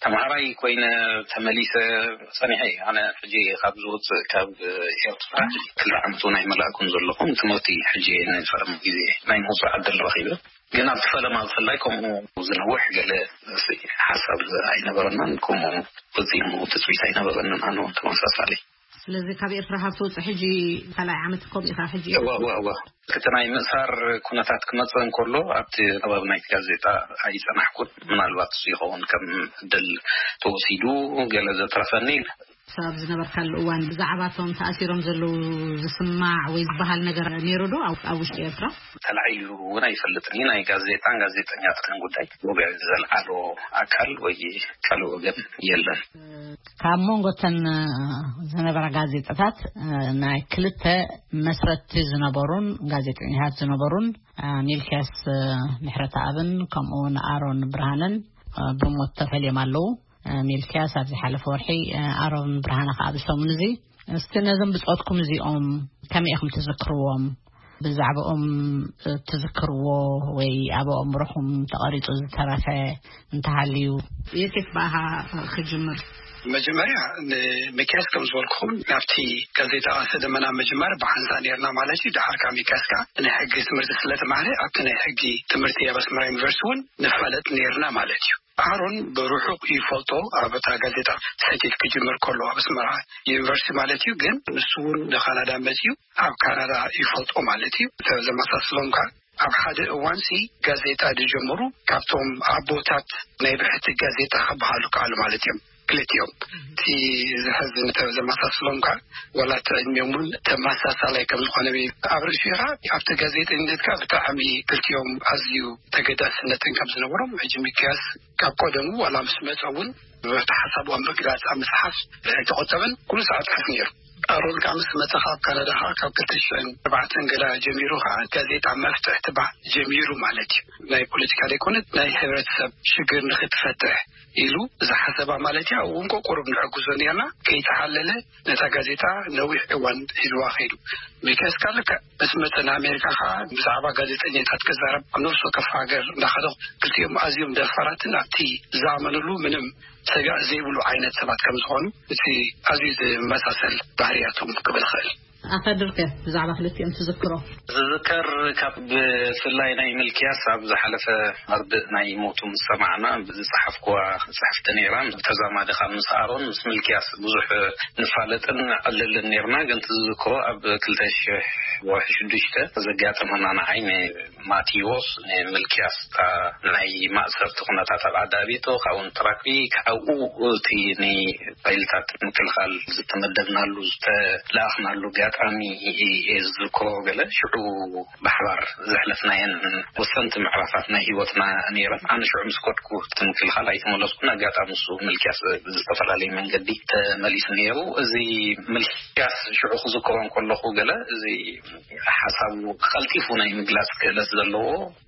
ተምሃራይ ኮይነ ተመሊሰ ጸኒሐ እየ። ኣነ ሕጂ ካብ ዝወጽእ ካብ ኤርትራ ክልተ ዓመት እውን ኣይመላእኩን ዘለኹ። ትምህርቲ ሕጂ ናይ ፈለማ ግዜ ናይ ምውጻእ ዕድል ረኺበ። ግን ኣብቲ ፈለማ ብፍላይ ከምኡ ዝነውሕ ገለ ሓሳብ ኣይነበረናን፣ ከምኡ ፈጺሙ ትጽቢት ኣይነበረንን። ኣነ እውን ተመሳሳሊ። ስለዚ ካብ ኤርትራ ካብ ትወጽእ ሕጂ ካልኣይ ዓመት ከምኡ ኢኻ ሕጂ? እዋ፣ እዋ፣ እዋ። እቲ ናይ ምእሳር ኩነታት ክመጽእ እንከሎ ኣብቲ ከባቢ ናይቲ ጋዜጣ ኣይጸናሕኩን። ምናልባት እሱ ይኸውን ከም ዕድል ተወሲዱ ገለ ዘትረፈኒ። ሰብ ዝነበርካሉ እዋን ብዛዕባ እቶም ተኣሲሮም ዘለዉ ዝስማዕ ወይ ዝበሃል ነገር ነይሩ ዶ ኣብ፣ ኣብ ውሽጢ ኤርትራ? ተላዒሉ እውን ኣይፈልጥን እዩ። ናይ ጋዜጣን ጋዜጠኛታትን ጉዳይ ወግዒ ዘልዓሎ ኣካል ወይ ካልእ ወገን የለን። ካብ መንጎ እተን ዝነበራ ጋዜጣታት ናይ ክልተ መስረትቲ ዝነበሩን ጋዜጠኛታት ዝነበሩን ሚልክያስ ምሕረተኣብን ከምኡ እውን ኣሮን ብርሃነን ብሞት ተፈልዮም ኣለዉ። ሚልክያስ ኣብ ዝሓለፈ ወርሒ፣ ኣሮን ብርሃነ ከኣ ኣብዚ ሰሙን እዚ። እስቲ ነዞም ብጾትኩም እዚኦም ከመይ ኢኹም ትዝክርዎም? ብዛዕባኦም ትዝክርዎ ወይ ኣብ ኣእምሮኹም ተቐሪጹ ዝተረፈ እንተሃልዩ? የሴፍ ብኣኻ ክጅምር። መጀመርያ ንሚክያስ ከም ዝበልኩኹም ናብቲ ጋዜጣ ቀስተ ደመና ምጅማር ብሓንሳእ ነይርና ማለት እዩ። ደሓር ካብ ሚክያስ ከዓ ናይ ሕጊ ትምህርቲ ስለ ተማህረ ኣብቲ ናይ ሕጊ ትምህርቲ ኣብ ኣስመራ ዩኒቨርሲቲ እውን ንፋለጥ ነይርና ማለት እዩ። ኣሮን ብርሑቕ ይፈልጦ። ኣብ እታ ጋዜጣ ሰቲት ክጅምር ከሎ ኣብ ኣስመራ ዩኒቨርሲቲ ማለት እዩ። ግን ንሱ እውን ንካናዳ መፅዩ ኣብ ካናዳ ይፈልጦ ማለት እዩ። ዘመሳስሎም ከዓ ኣብ ሓደ እዋንሲ ጋዜጣ ዝጀመሩ ካብቶም ኣቦታት ናይ ብሕቲ ጋዜጣ ክበሃሉ ከኣሉ ማለት እዮም ክልቲኦም። እቲ ዝሕዝን ዘመሳስሎም ከዓ ዋላ እቲ ዕድሚኦም እውን ተመሳሳላይ ከም ዝኾነ ኣብ ርእሲኡ ከዓ ኣብቲ ጋዜጠኝነት ከዓ ብጣዕሚ ክልቲኦም ኣዝዩ ተገዳስነትን ከም ዝነበሮም ሕጂ ሚክያስ ካብ ቀደሙ ዋላ ምስ መፀ እውን ብብሕቲ ሓሳቡ ኣብ ምግላፅ ኣብ ምፅሓፍ ኣይተቆጠበን። ኩሉ ሰዓት ፅሕፍ ነይሩ። ኣሮን ካብ ምስ መጸ ካብ ካናዳ ኸዓ ካብ ክልተ ሽሕን ኣርባዕተን ገላ ጀሚሩ ኸዓ ጋዜጣ መፍትሕ ትባዕ ጀሚሩ ማለት እዩ። ናይ ፖለቲካ ዘይኮነት ናይ ሕብረተሰብ ሽግር ንኽትፈትሕ ኢሉ ዝሓሰባ ማለት እዩ። ኣብኡ እውን ቆቆሩብ ንዕግዞ ነርና። ከይተሓለለ ነታ ጋዜጣ ነዊሕ እዋን ሒዝዋ ኸይዱ። ሚልክያስ ካልከ ምስ መጸ ንኣሜሪካ ኸዓ ብዛዕባ ጋዜጠኛታት ክዛረብ ኣብ ነፍሲ ወከፍ ሃገር እንዳኸደ ክልቲኦም ኣዝዮም ደፋራትን ኣብቲ ዝኣመንሉ ምንም ሰጋእ ዘይብሉ ዓይነት ሰባት ከም ዝኾኑ እቲ ኣዝዩ ዝመሳሰል ባህርያቶም ክብል ይኽእል። ኣኸድርከ ብዛዕባ ክልቲኦም ትዝክሮ? ዝዝከር ካብ ብፍላይ ናይ ምልክያስ ኣብ ዝሓለፈ መርድእ ናይ ሞቱ ምስ ሰማዕና ብዝጸሓፍኩዋ ጽሕፍቲ ነይራ። ተዛማዲ ካብ ምስ ኣሮን ምስ ምልክያስ ብዙሕ ንፋለጥን ንዕልልን ነርና። ግን ትዝክሮ ኣብ ክልተ ሽሕ ወርሒ ሽዱሽተ ዘጋጠመና ንዓይ ማቴዎስ ንምልክያስ እታ ናይ ማእሰርቲ ኩነታት ኣብ ዓዲ ኣቤቶ ካብኡ ንትራክቢ ካብኡ እቲ ንፋይልታት ምክልኻል ዝተመደብናሉ ዝተለኣኽናሉ ኣጋጣሚ እየ ዝዝክሮ። ገለ ሽዑ ብሓባር ዘሕለፍናየን ወሰንቲ ምዕራፋት ናይ ህይወትና ነይረን። ኣነ ሽዑ ምስ ከድኩ እቲ ምክልኻል ኣይተመለስኩን። ኣጋጣሚ እሱ ምልክያስ ብዝተፈላለየ መንገዲ ተመሊሱ ነይሩ። እዚ ምልክያስ ሽዑ ክዝክሮ እንከለኹ ገለ እዚ ሓሳቡ ቀልጢፉ ናይ ምግላጽ ክእለት ዘለዎ፣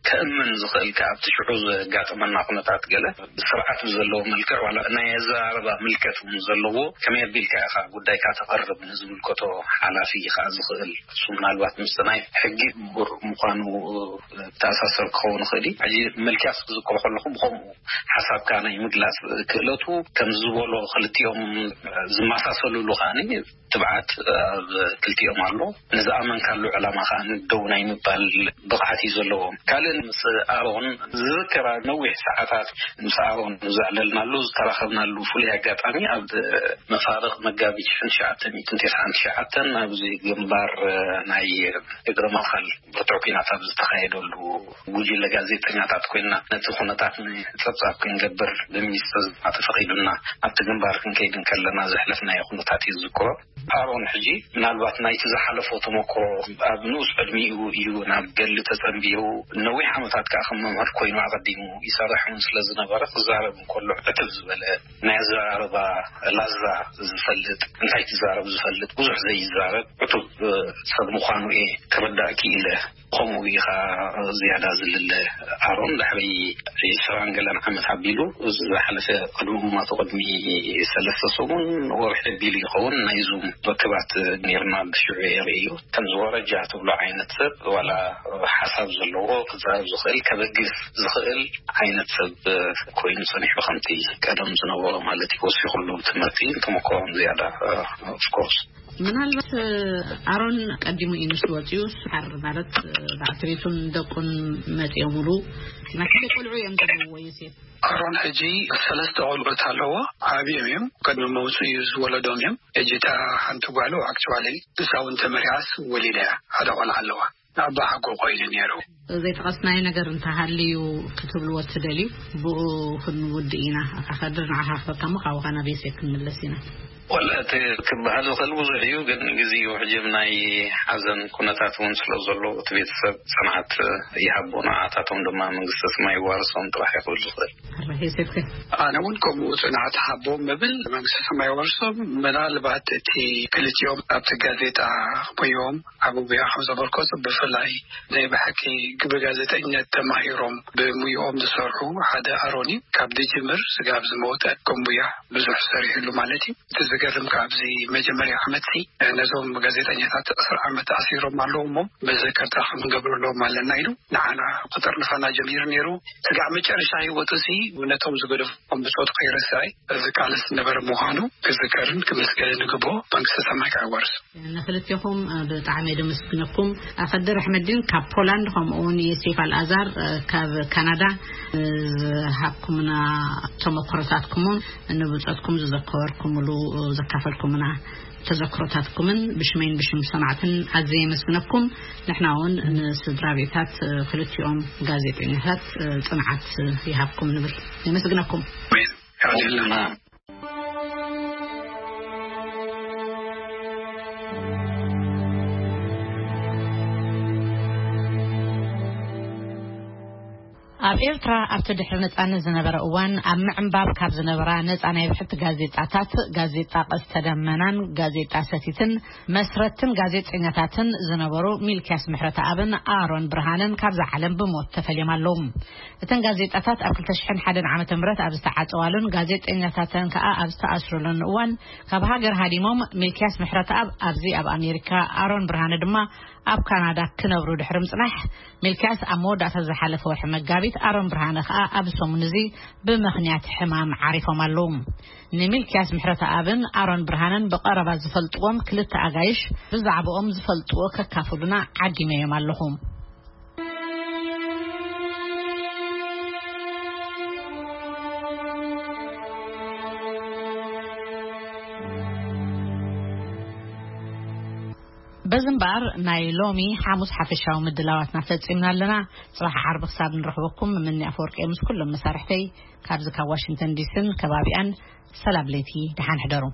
ከእምን ዝኽእል ከኣ ኣብቲ ሽዑ ዘጋጠመና ኩነታት ገለ ስርዓት ብዘለዎ መልክዕ ዋላ ናይ ኣዘራርባ ምልከት እውን ዘለዎ፣ ከመይ ኣቢልካ ኢኻ ጉዳይካ ተቕርብ ንዝምልከቶ ሓላፊ ከኣ ዝኽእል፣ እሱ ምናልባት ምስ ናይ ሕጊ ምሁር ምዃኑ ተኣሳሰር ክኸውን ይኽእል እዩ። ሕጂ ምልክያስ ክዝክሮ ከለኹ ብኸምኡ ሓሳብካ ናይ ምግላጽ ክእለቱ ከም ዝበሎ ክልቲኦም ዝመሳሰሉሉ ከኣ ትብዓት ኣብ ክልቲኦም ኣሎ። ንዝኣመንካሉ ዕላማ ከኣ ደው ናይ ምባል ብቕዓት እዩ ዘለዎም። ካልእ ምስ ኣሮን ዝዝከራ ነዊሕ ሰዓታት ምስ ኣሮን ዘዕለልናሉ ዝተራኸብናሉ ፍሉይ ኣጋጣሚ ኣብ መፋርቕ መጋቢት ሽሕን ትሽዓተ ሚእትን ተስዓን ትሽዓተን ኣብዚ ግንባር ናይ እግረ መኻል ብርቱዕ ኲናት ኣብ ዝተኻየደሉ ጉጅለ ጋዜጠኛታት ኮይና ነቲ ኩነታት ንጸብጻብ ክንገብር ብሚኒስትር ዜና ተፈቒዱልና ኣብቲ ግንባር ክንከይድ እንከለና ዘሕለፍናዮ ኩነታት እዩ ዝዝክሮ። ኣሮን ሕጂ ምናልባት ናይቲ ዝሓለፎ ተመክሮ ኣብ ንኡስ ዕድሚኡ እዩ ናብ ገድሊ ተጸንቢሩ። ነዊሕ ዓመታት ከኣ ከም መምህር ኮይኑ ኣቐዲሙ ይሰርሕ እውን ስለ ዝነበረ ክዛረብ እንከሎ ዕትብ ዝበለ ናይ ኣዘራርባ ላዛ ዝፈልጥ፣ እንታይ ትዛረብ ዝፈልጥ፣ ብዙሕ ዘይዛረብ ዕቱብ ሰብ ምዃኑ እየ ክርዳእ ክኢለ። ከምኡ ኢኻ ዝያዳ ዝልለ ኣሮን ድሕሪ ዒስራን ገለን ዓመት ኣቢሉ ዝሓለፈ ቅድሚ ምማቱ ቅድሚ ሰለስተ ሰሙን ወርሒ ኣቢሉ ይኸውን ናይ ዙም ርክባት ነይርና። ብሽዑ የርእዩ ከም ዝወረጃ ትብሎ ዓይነት ሰብ ዋላ ሓሳብ ዘለዎ ክዛረብ ዝኽእል ከበግስ ዝኽእል ዓይነት ሰብ ኮይኑ ጸኒሑ ከምቲ ቀደም ዝነበሮ ማለት እዩ። ወሲኹሉ ትምህርቲ ተመክሮን ዝያዳ ኦፍኮርስ ምናልባት ኣሮን ቀዲሙ እዩ ንሱ ወፂኡ ሓር ማለት ባዕትቤቱን ደቁን መፂኦምሉ ናይ ሓደ ቆልዑ እዮም ዘለውዎ ዮሴፍ ኣሮን ሕጂ ሰለስተ ቆልዑት ኣለዎ። ዓብዮም እዮም ቅድሚ መውፅኡ እዩ ዝወለዶም እዮም። ሕጂ እታ ሓንቲ ጓሉ ኣክቹዋሊ ንሳ እውን ተመሪዓስ ወሊዳ እያ ሓደ ቆልዓ ኣለዋ። ኣባ ሓጎ ኮይኑ ነይሩ። ዘይጠቐስናዮ ነገር እንተሃልዩ ክትብልዎ ትደልዩ? ብኡ ክንውድእ ኢና። ኣታ ከድር ንዓኻ ክበካ እሞ ካብኡ ናብ ዮሴፍ ክንምለስ ኢና። ወላ እቲ ክበሃል ዝኽእል ብዙሕ እዩ፣ ግን ግዜኡ ሕጂ ናይ ሓዘን ኩነታት እውን ስለ ዘሎ እቲ ቤተሰብ ጽንዓት ይሃቦ፣ ንዓታቶም ድማ መንግስተ ሰማይ ይዋርሶም ጥራሕ ይኽእል ዝኽእል። ኣረ ዮሴፍ ከ? ኣነ እውን ከምኡ ጽንዓት ሃቦም ምብል መንግስተ ሰማይ ይዋርሶም። ምናልባት እቲ ክልቲኦም ኣብቲ ጋዜጣ ኮይኖም ዓቢ ጉያ ከም ዘበርከቱ ብፍላይ ናይ ብሓቂ ብጋዜጠኝነት ተማሂሮም ብሙያኦም ዝሰርሑ ሓደ ኣሮኒ ካብ ድጅምር ስጋብ ዝመውተ ከም ሙያ ብዙሕ ሰሪሕሉ ማለት እዩ። እቲ ዝገርም ካብ ኣብዚ መጀመርያ ዓመትሲ ነዞም ጋዜጠኛታት ዕስራ ዓመት ኣሲሮም ኣለዉ እሞ መዘከርታ ክንገብረሎም ኣለና ኢሉ ንዓና ክጥርንፋና ጀሚሩ ነይሩ። ስጋዕ መጨረሻ ህይወቱ ሲ ነቶም ዝገደፎም ብጾቱ ከይረስዐ ዝቃለስ ዝነበረ ምዃኑ ክዝከርን ክምስገንን ይግብኦ። መንግስተ ሰማይ ከኣ ይዋርሶ። ንክልቴኹም ብጣዕሚ እየ ደመስግነኩም። ኣኸድር ኣሕመዲን ካብ ፖላንድ ከምኡ እውን የሴፍ ኣልኣዛር ካብ ካናዳ ዝሃብኩምና ተመክሮታትኩምን ንብጾትኩም ዝዘከበርኩምሉ ዘካፈልኩምና ተዘክሮታትኩምን ብሽመይን ብሽም ሰማዕትን ኣዝየ የመስግነኩም። ንሕና እውን ንስድራ ቤታት ክልቲኦም ጋዜጠኛታት ጽንዓት ይሃብኩም ንብል። የመስግነኩም። ኣብ ኤርትራ ኣብቲ ድሕሪ ነጻነት ዝነበረ እዋን ኣብ ምዕንባብ ካብ ዝነበራ ነጻ ናይ ብሕቲ ጋዜጣታት፣ ጋዜጣ ቀስተ ደመናን ጋዜጣ ሰቲትን መስረትን ጋዜጠኛታትን ዝነበሩ ሚልክያስ ምሕረተኣብን ኣሮን ብርሃንን ካብዛ ዓለም ብሞት ተፈልዮም ኣለዉ። እተን ጋዜጣታት ኣብ ክልተ ሽሕን ሓደን ዓመተ ምህረት ኣብ ዝተዓጸዋሉን ጋዜጠኛታተን ከኣ ኣብ ዝተኣስሩሉን እዋን ካብ ሃገር ሃዲሞም፣ ሚልክያስ ምሕረተኣብ ኣብዚ ኣብ ኣሜሪካ፣ ኣሮን ብርሃነ ድማ ኣብ ካናዳ ክነብሩ ድሕሪ ምጽናሕ፣ ሚልክያስ ኣብ መወዳእታ ዝሓለፈ ወርሒ መጋቢት፣ ኣሮን ብርሃነ ከኣ ኣብ ሰሙን እዚ ብምኽንያት ሕማም ዓሪፎም ኣለዉ። ንሚልክያስ ምሕረተኣብን ኣሮን ብርሃነን ብቐረባ ዝፈልጥዎም ክልተ ኣጋይሽ ብዛዕባኦም ዝፈልጥዎ ከካፍሉና ዓዲመዮም ኣለኹ። በዚ እምበኣር ናይ ሎሚ ሓሙስ ሓፈሻዊ ምድላዋትና ፈጺምና ኣለና። ጽባሕ ዓርቢ ክሳብ ንረኽበኩም፣ ምኒ ኣፈወርቂ ምስ ኩሎም መሳርሕተይ ካብዚ ካብ ዋሽንግተን ዲስን ከባቢኣን ሰላም ለይቲ፣ ደሓን ሕደሩ።